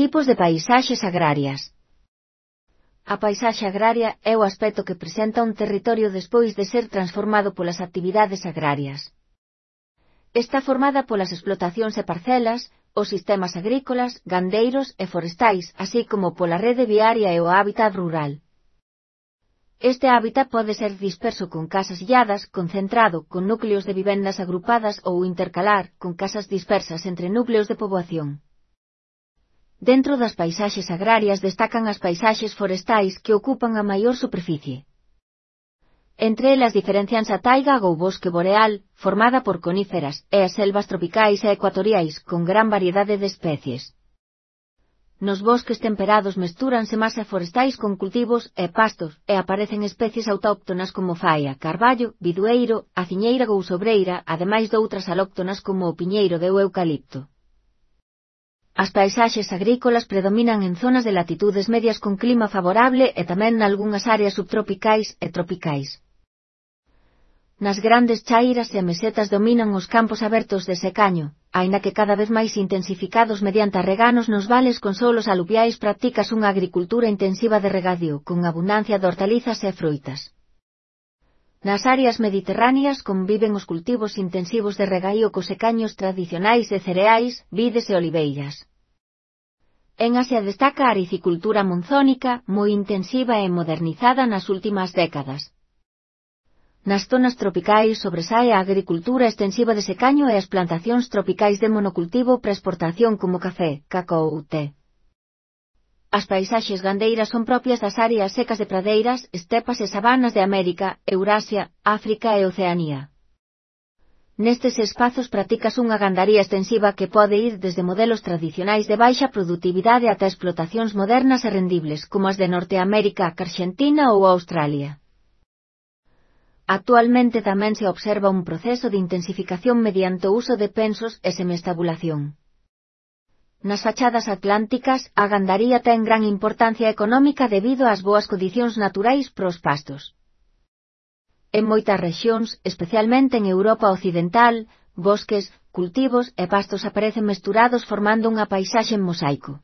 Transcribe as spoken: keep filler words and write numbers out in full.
Tipos de paisaxes agrarias. A paisaxe agraria é o aspecto que presenta un territorio despois de ser transformado polas actividades agrarias. Está formada polas explotacións e parcelas, os sistemas agrícolas, gandeiros e forestais, así como pola rede viaria e o hábitat rural. Este hábitat pode ser disperso con casas illadas, concentrado, con núcleos de vivendas agrupadas ou intercalar, con casas dispersas entre núcleos de poboación. Dentro das paisaxes agrarias destacan as paisaxes forestais que ocupan a maior superficie. Entre elas diferencianse a taiga ou bosque boreal, formada por coníferas, e as selvas tropicais e ecuatoriais, con gran variedade de especies. Nos bosques temperados mestúranse masa forestais con cultivos e pastos, e aparecen especies autóctonas como faia, carballo, bidueiro, aciñeira ou sobreira, ademais doutras alóctonas como o piñeiro e o eucalipto. As paisaxes agrícolas predominan en zonas de latitudes medias con clima favorable e tamén nalgunhas áreas subtropicais e tropicais. Nas grandes chairas e mesetas dominan os campos abertos de secaño, aínda que cada vez máis intensificados mediante reganos nos vales con solos aluviais practicas unha agricultura intensiva de regadío, con abundancia de hortalizas e froitas. Nas áreas mediterráneas conviven os cultivos intensivos de regaío cos secaños tradicionais de cereais, vides e oliveiras. En Asia destaca a aricicultura monzónica, moi intensiva e modernizada nas últimas décadas. Nas zonas tropicais sobresae a agricultura extensiva de secaño e as plantacións tropicais de monocultivo para exportación como café, cacao ou té. As paisaxes gandeiras son propias das áreas secas de pradeiras, estepas e sabanas de América, Eurasia, África e Oceanía. Nestes espazos practicas unha gandaría extensiva que pode ir desde modelos tradicionais de baixa produtividade ata explotacións modernas e rendibles como as de Norteamérica, Argentina ou Australia. Actualmente tamén se observa un proceso de intensificación mediante o uso de pensos e semestabulación. Nas fachadas atlánticas, a gandaría ten gran importancia económica debido ás boas condicións naturais pros pastos. En moitas rexións, especialmente en Europa Occidental, bosques, cultivos e pastos aparecen mesturados formando unha paisaxe en mosaico.